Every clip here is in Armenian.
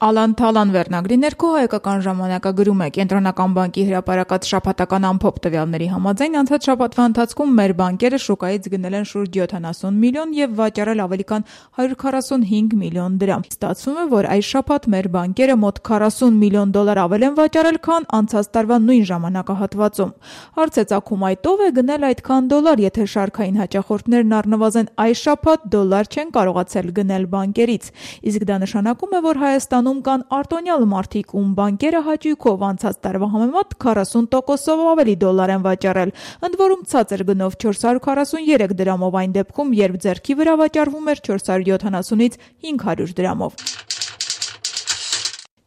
Ալան-թալան վերնագրի ներքո Հայկական ժամանակը գրում է. Կենտրոնական բանկի հրապարակած շաբաթական ամփոփ տվյալների համաձայն անցած շաբաթվա ընթացքում մեր բանկերը շուկայից գնել են շուրջ 70 միլիոն եւ վաճառել ավելի քան 145 միլիոն դրամ։ Ստացվում է, որ այս շաբաթ մեր բանկերը մոտ 40 միլիոն դոլար ավել են վաճառել, քան անցած տարվա նույն ժամանակահատվածում։ Հարց է ծագում, այդ ով է գնել այդքան դոլար, եթե շարքային հաճախորդներն առնվազն այս շաբաթ դոլար չեն կարողացել գնել բանկերից։ Իսկ դա նշանակում է, որ Հայաստանում կան արտոնյալ մարդիկ, ում բանկերը հաճույքով անցած տարվա համեմատ 40%-ով ավելի դոլար են վաճառել, ընդ որում ցածր գնով 443 դրամով այն դեպքում, երբ ձեռքի վրա վաճառվում էր 470-ից 500 դրամով։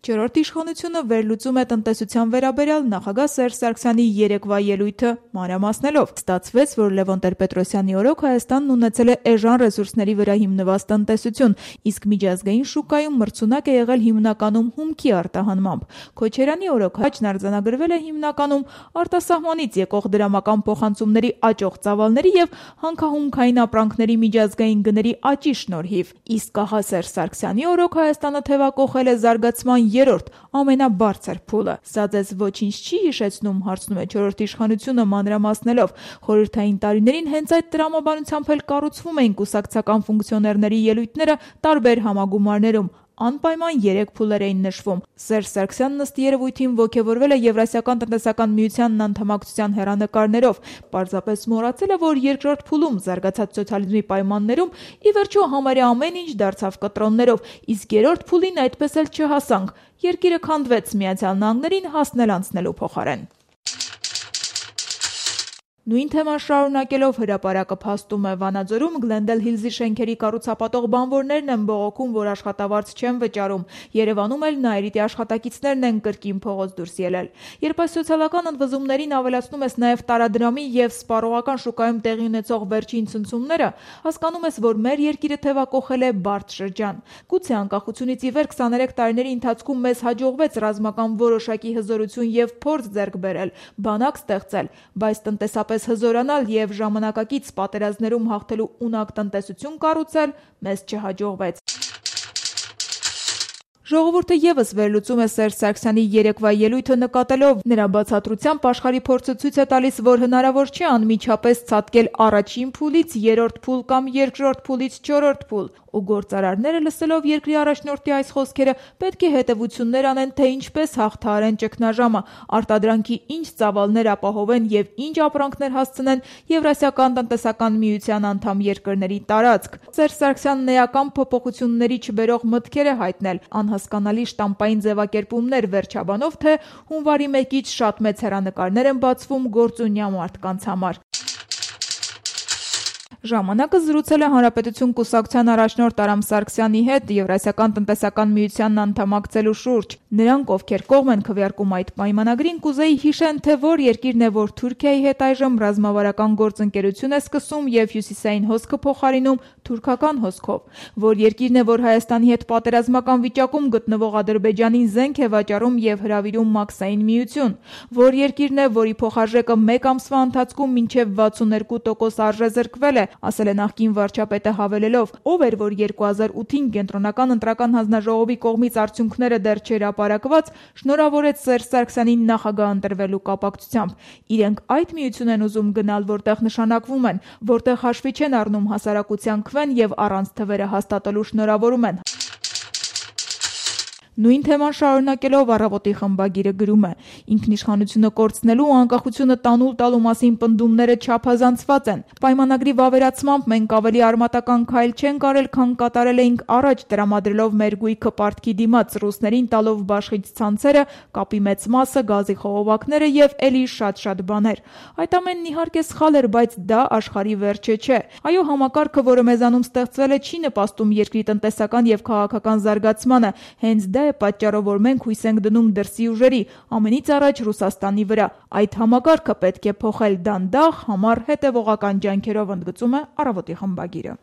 Չորրորդ իշխանությունը վերլուծում է տնտեսության վերաբերյալ նախագահ Սերժ Սարգսյանի երեկվա ելույթը մանրամասնելով։ Ստացվեց, որ Լևոն Տեր-Պետրոսյանի օրոք Հայաստանն ունեցել է էժան ռեսուրսների վրա հիմնված տնտեսություն, իսկ միջազգային շուկայում մրցունակ է եղել հիմնականում հումքի արտահանմամբ։ Քոչարյանի օրոք հաճն արձանագրվել է հիմնականում արտասահմանից եկող դրամական փոխանցումների աճող ծավալների եւ հանքահումքային ապրանքների միջազգային գների աճի շնորհիվ։ Իսկ ահա Սերժ Սարգսյանի օրոք Հայաստանը թեւակոխել է զարգացման երրորդ ամենաբարձր փուլը։ Սա ձեզ ոչինչ չի հիշեցնում, հարցնում է չորրորդ իշխանությունը մանրամասնելով։ Խորհրդային տարիներին հենց այդ տրամաբանությամբ էլ կառուցվում էին կուսակցական ֆունկցիոներների ելույթները տարբեր համագումարներում։ Անպայման 3 փուլեր էին նշվում։ Սերժ Սարգսյանն ըստ երևույթին ոգևորվել է Եվրասիական տնտեսական միությանն անդամակցության հեռանկարներով։ Պարզապես մոռացել է, որ երկրորդ փուլում զարգացած սոցիալիզմի պայմաններում ի վերջո համարյա ամեն ինչ դարձավ կտրոններով, իսկ երրորդ փուլին այդպես էլ չհասանք։ Երկիրը քանդվեց Միացյալ Նահանգներին հասնել անցնելու փոխարեն։ Նույն թեման շարունակելով հրապարակը փաստում է Վանաձորում Գլենդել Հիլզի շենքերի կառուցապատող բանվորներն են բողոքում, որ աշխատավարձ չեն վճարում։ Երևանում էլ Նայիրիտի աշխատակիցներն են կրկին փողոց դուրս ելել։ Երբ այս սոցիալական ընդվզումներին ավելացնում ես նաև տարադրամի եւ սպառողական շուկայում տեղի ունեցող վերջին ցնցումները, հասկանում ես, որ մեր երկիրը թևակոխել է բարդ շրջան։ Գուցե անկախությունից ի վեր 23 տարիների ընթացքում մեզ հաջողվեց ռազմական որոշակի հզորություն եւ փորձ ձեռք բերել, բանակ ստեղծել, բայց տնտեսապես հզորանալ եւ ժամանակակից պատերազմներում հաղթելու ունակ տնտեսություն կառուցել մեզ չհաջողվեց։ Ժողովուրդը եւս վերլուծում է Սերժ Սարգսյանի երեկվա ելույթը նկատելով նրա բացատրությամբ աշխարհի փորձը ցույց է տալիս, որ հնարավոր չէ անմիջապես ցատկել առաջին փուլից երրորդ փուլ կամ երկրորդ փուլից չորրորդ փուլ, ու գործարարները լսելով երկրի առաջնորդի այս խոսքերը պետք է հետևություններ անեն, թե ինչպես հաղթահարեն ճգնաժամը, արտադրանքի ինչ ծավալներ ապահովեն եւ ինչ ապրանքներ հասցնեն Եվրասիական տնտեսական միության անդամ երկրների տարածք։ Սերժ Սարգսյանն էական փոփոխությունների չբերող մտքեր է հայտնել, հասկանալի շտամպային ձևակերպումներ վերջաբանով, թե հունվարի 1-ից շատ մեծ հեռանկարներ են բացվում գործունյա մարդկանց համար։ Ժամանակը զրուցել է Հանրապետություն կուսակցության առաջնորդ Արամ Սարգսյանի հետ Եվրասիական տնտեսական միությանն անդամակցելու շուրջ։ Նրանք, ովքեր կողմ են քվեարկում այդ պայմանագրին, կուզեի հիշեն, թե որ երկիրն է, որ Թուրքիայի հետ այժմ ռազմավարական գործընկերություն է սկսում եւ հյուսիսային հոսքը փոխարինում թուրքական հոսքով, որ երկիրն է, որ Հայաստանի հետ պատերազմական վիճակում գտնվող Ադրբեջանին զենք է վաճառում եւ հրավիրում մաքսային միություն, որ երկիրն է, որի փոխարժեքը 1 ամսվա ընթացքում մինչեւ 62% արժեզրկվել է, ասել է նախկին վարչապետը հավելելով, ով էր, որ 2008-ին կենտրոնական ընտրական հանձնաժողովի կողմից արդյունքները դեռ չհրապարակված, շնորհավորեց Սերժ Սարգսյանին նախագահ ընտրվելու կապակցությամբ։ Իրենք այդ միություն են ուզում գնալ, որտեղ նշանակվում են, որտեղ հաշվի չեն առնում հասարակության քվեն եւ առանց թվերը հաստատելու շնորհավորում են։ Նույն թեման շարունակելով Առավոտի խմբագիրը գրում է. ինքնիշխանությունը կորցնելու ու անկախությունը տանուլ տալու մասին պնդումները չափազանցված են։ Պայմանագրի վավերացմամբ մենք ավելի արմատական քայլ չենք արել, քան կատարել էինք առաջ, տրամադրելով մեր գույքը պարտքի դիմաց, ռուսներին տալով բաշխիչ ցանցերը, կապի մեծ մասը, գազի խողովակները եւ էլի շատ բաներ։ Այդ ամենն իհարկե սխալ էր, բայց դա աշխարհի վերջը չէ։ Այո, համակարգը, որը մեզանում ստեղծվել է, չի նպաստում երկրի տնտեսական եւ քաղաքական զարգացմանը, հենց դա է պատճառով, որ մենք հույս ենք դնում դրսի ուժերի, ամենից առաջ Ռուսաստանի վրա։ Այդ համակարգը պետք է փոխել դանդաղ, համառ, հետևողական ջանքերով, ընդգծում է Առավոտի խմբագիրը։